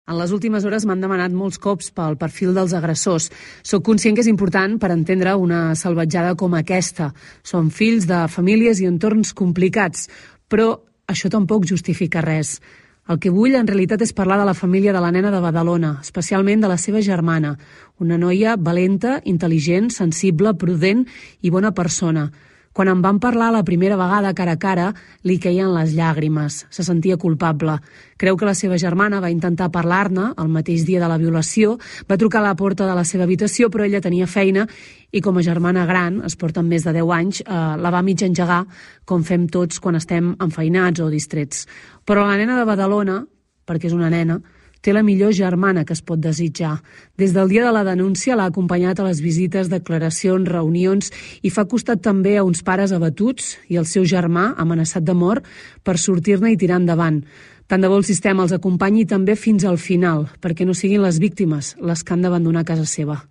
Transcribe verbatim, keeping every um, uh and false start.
En les últimes hores m'han demanat molts cops pel perfil dels agressors. Soc conscient que és important per entendre una salvatjada com aquesta. Són fills de famílies i entorns complicats, però això tampoc justifica res. El que vull en realitat és parlar de la família de la nena de Badalona, especialment de la seva germana, una noia valenta, intel·ligent, sensible, prudent i bona persona. Quan em van parlar la primera vegada cara a cara, li queien les llàgrimes. Se sentia culpable. Creu que la seva germana va intentar parlar-ne el mateix dia de la violació, va trucar a la porta de la seva habitació, però ella tenia feina i com a germana gran, es porten més de deu anys, eh, la va mig engegar, com fem tots quan estem enfeinats o distrets. Però la nena de Badalona, perquè és una nena, té la millor germana que es pot desitjar. Des del dia de la denúncia l'ha acompanyat a les visites, declaracions, reunions i fa costat també a uns pares abatuts i al seu germà amenaçat de mort per sortir-ne i tirar endavant. Tant de bo el sistema els acompanyi també fins al final, perquè no siguin les víctimes les que han d'abandonar casa seva.